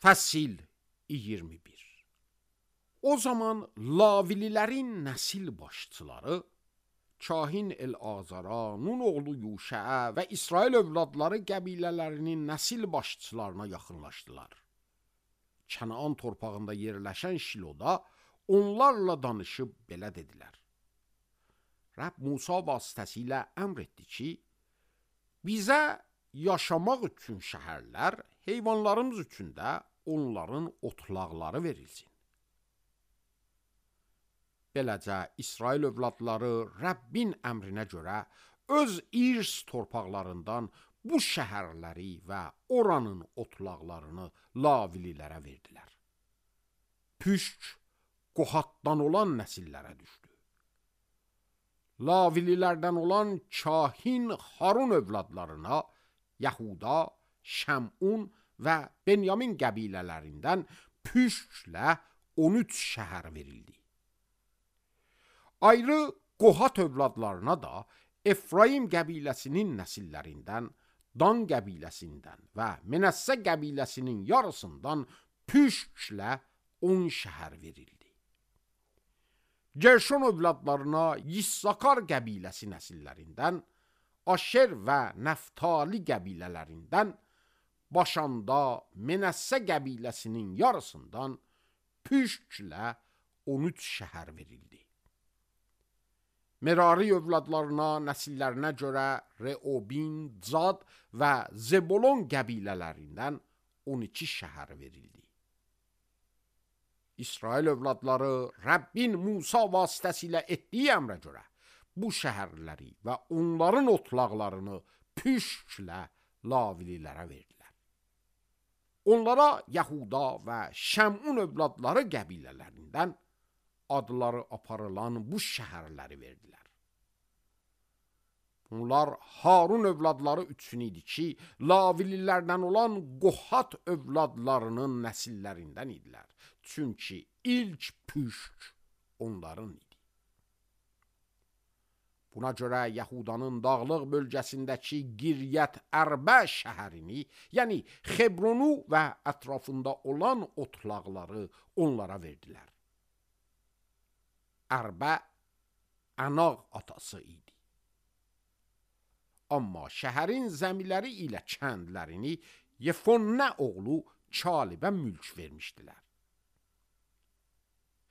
Fəsil 21. O zaman Lavililərin nəsil başçıları Kahin El-Azara, Nun oğlu Yuşəə və İsrail övladları qəbilələrinin nəsil başçılarına yaxınlaşdılar. Kənaan torpağında yerləşən Şiloda onlarla danışıb belə dedilər. Rəbb Musa vasitəsilə əmr etdi ki, bizə yaşamaq üçün şəhərlər, heyvanlarımız üçün də onların otlaqları verilsin. Beləcə, İsrail övladları Rəbbin əmrinə görə öz irs torpaqlarından bu şəhərləri və oranın otlaqlarını Lavililərə verdilər. Püşk Qohatdan olan nəsillərə düşdü. Lavililərdən olan Kahin Harun övladlarına Yahuda, Şəmun və Benyamin qəbilələrindən Püşklə 13 şəhər verildi. Ayrı Qohat övladlarına da Efraim qəbiləsinin nəsillərindən, Dan qəbiləsindən və Menəssə qəbiləsinin yarısından Püşklə 10 şəhər verildi. Gerşon övladlarına Yissakar qəbiləsi nəsillərindən, Aşer və Nəftali qəbilələrindən, Başanda Menəssə qəbiləsinin yarısından Püşklə 13 şəhər verildi. Merari övladlarına nəsillərinə görə Reobin, Zad və Zebolon qəbilələrindən 12 şəhər verildi. İsrail övladları Rəbbin Musa vasitəsilə etdiyi əmrə görə bu şəhərləri və onların otlaqlarını Püşklə Lavililərə verdilər. Onlara Yahuda və Şəmun övladları qəbilələrindən adları aparılan bu şəhərləri verdilər. Bunlar Harun övladları üçün idi ki, Lavililərdən olan Qohat övladlarının nəsillərindən idilər. Çünki ilk Püşk onların idi. Buna görə Yahudanın dağlıq bölgəsindəki Giryət Ərbə şəhərini, yəni Xebronu və ətrafında olan otlaqları onlara verdilər. Ərbə Ənaq atası idi. Amma şəhərin zəmiləri ilə kəndlərini Yefonnə oğlu Kalibə mülk vermişdilər.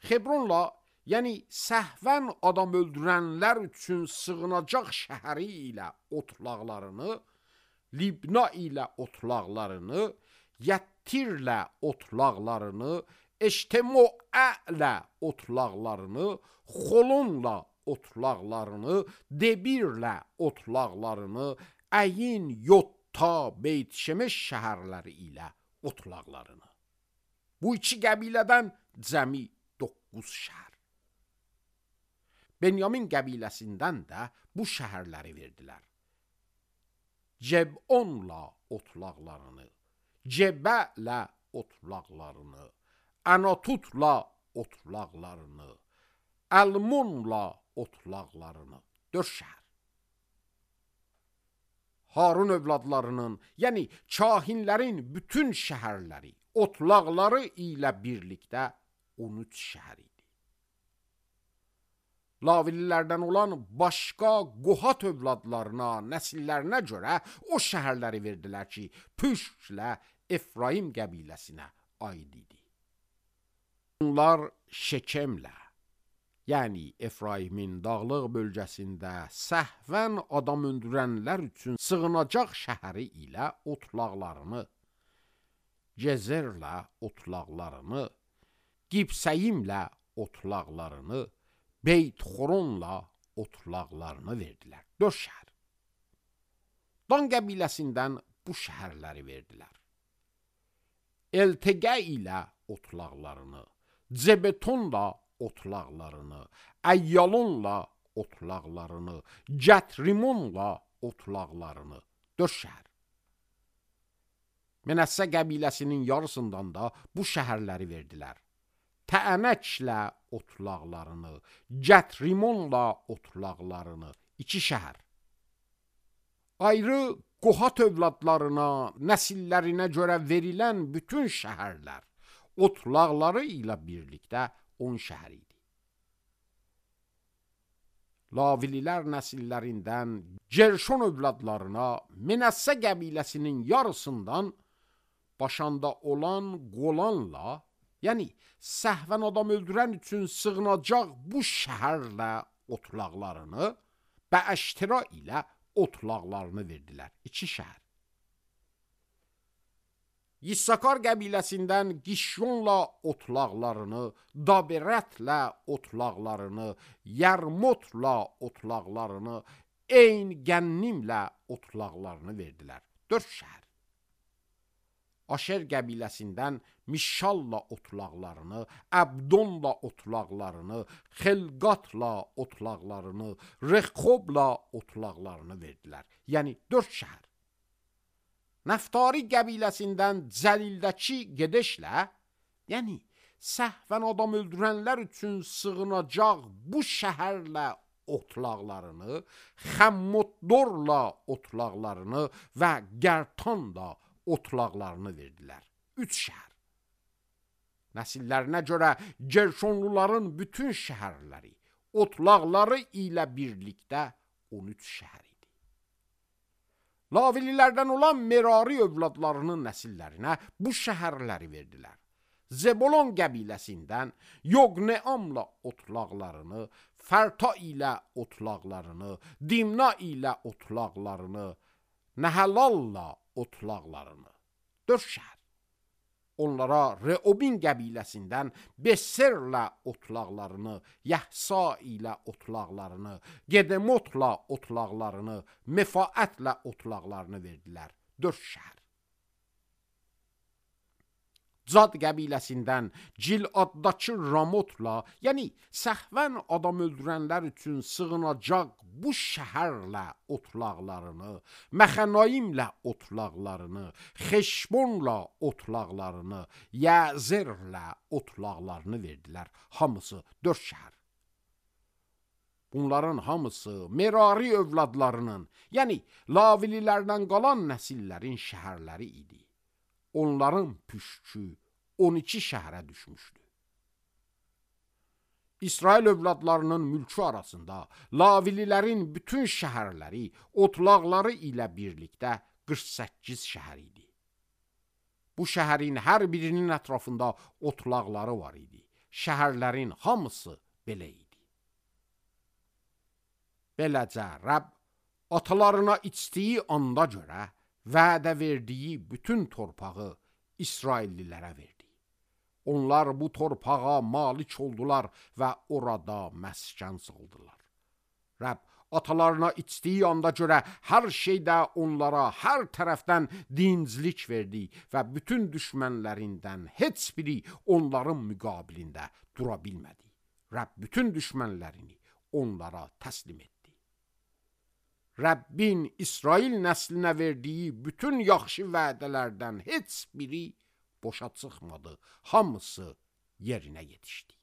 Xebronla, yəni səhvən adam öldürənlər üçün sığınacaq şəhəri ilə otlaqlarını, Libna ilə otlaqlarını, Yəttirlə otlaqlarını, Eştemoələ otlaqlarını, Xolonla otlaqlarını, Debirlə otlaqlarını, Əyin, Yotta, Beyt-Şemeş şəhərləri ilə otlaqlarını. Bu iki qəbilədən cəmi 9 şəhər. Benyamin qəbiləsindən də bu şəhərləri verdilər. Cebonla otlaqlarını, Cebələ otlaqlarını, Anatutla otlaqlarını, Əlmunla otlaqlarını, 4 şəhər. Harun övladlarının, yəni kahinlərin bütün şəhərləri, otlaqları ilə birlikdə 13 şəhər idi. Lavililərdən olan başqa Qohat övladlarına, nəsillərinə görə o şəhərləri verdilər ki, Püşklə Efraim qəbiləsinə aid idi. Bunlar Şekemlə, yəni Efraimin dağlıq bölgəsində səhvən adam öldürənlər üçün sığınacaq şəhəri ilə otlaqlarını, Gezerlə otlaqlarını, Qibsəyimlə otlaqlarını, Beyt-Xoronla otlaqlarını verdilər. 4 şəhər. Dan qəbiləsindən bu şəhərləri verdilər. Eltegə ilə otlaqlarını, Zebetonla otlaqlarını, Əyyalonla otlaqlarını, Gətrimonla otlaqlarını, 4 şəhər. Menəssə qəbiləsinin yarısından da bu şəhərləri verdilər. Təənəklə otlaqlarını, Gətrimonla otlaqlarını, 2 şəhər. Ayrı Qohat övladlarına, nəsillərinə görə verilən bütün şəhərlər, otlaqları ilə birlikdə 10 şəhər idi. Lavililər nəsillərindən Gerşon övladlarına Menəssə qəbiləsinin yarısından başanda olan Qolanla, yəni səhvən adam öldürən üçün sığınacaq bu şəhərlə otlaqlarını və Əştira ilə otlaqlarını verdilər. 2 şəhər. Yissakar qəbiləsindən Qişyonla otlaqlarını, Daberətlə otlaqlarını, Yərmotla otlaqlarını, Eyn Gənnimlə otlaqlarını verdilər. 4 şəhər. Aşer qəbiləsindən Mişalla otlaqlarını, Əbdonla otlaqlarını, Xelqatla otlaqlarını, Rexobla otlaqlarını verdilər. Yəni 4 şəhər. Nəftari qəbiləsindən Cəlildəki Gedəşlə, yəni səhvən adam öldürənlər üçün sığınacaq bu şəhərlə otlaqlarını, Xəmmotdorla otlaqlarını və Gərtanla otlaqlarını verdilər. 3 şəhər. Nəsillərinə görə Gerşonluların bütün şəhərləri, otlaqları ilə birlikdə 13 şəhər idi. Lavililərdən olan Merari övladlarının nəsillərinə bu şəhərləri verdilər. Zebolon qəbiləsindən Yoqneamla otlaqlarını, Fərta ilə otlaqlarını, Dimna ilə otlaqlarını, Nəhəlalla otlaqlarını. 4 şəhər. Onlara Reobin qəbiləsindən Besserlə otlaqlarını, Yəhsa ilə otlaqlarını, Gedemotla otlaqlarını, Mefaətlə otlaqlarını verdilər. 4 şəhər. Cad qəbiləsindən Ciladdakı Ramotla, yəni səhvən adam öldürənlər üçün sığınacaq bu şəhərlə otlaqlarını, Məxənayimlə otlaqlarını, Xeşbonla otlaqlarını, Yəzerlə otlaqlarını verdilər. Hamısı 4 şəhər. Bunların hamısı Merari övladlarının, yəni Lavililərdən qalan nəsillərin şəhərləri idi. Onların püşkü 12 şəhərə düşmüşdü. İsrail övladlarının mülkü arasında Lavililərin bütün şəhərləri, otlaqları ilə birlikdə 48 şəhər idi. Bu şəhərin hər birinin ətrafında otlaqları var idi. Şəhərlərin hamısı belə idi. Beləcə Rəbb atalarına içdiyi anda görə vədə verdiyi bütün torpağı İsraillilərə verdi. Onlar bu torpağa malik oldular və orada məskən saldılar. Rəbb atalarına içdiyi anda görə hər şeydə onlara hər tərəfdən dinclik verdi və bütün düşmənlərindən heç biri onların müqabilində dura bilmədi. Rəbb bütün düşmənlərini onlara təslim etdi. Rəbbin İsrail nəslinə verdiyi bütün yaxşı vədələrdən heç biri boşa çıxmadı. Hamısı yerinə yetişdi.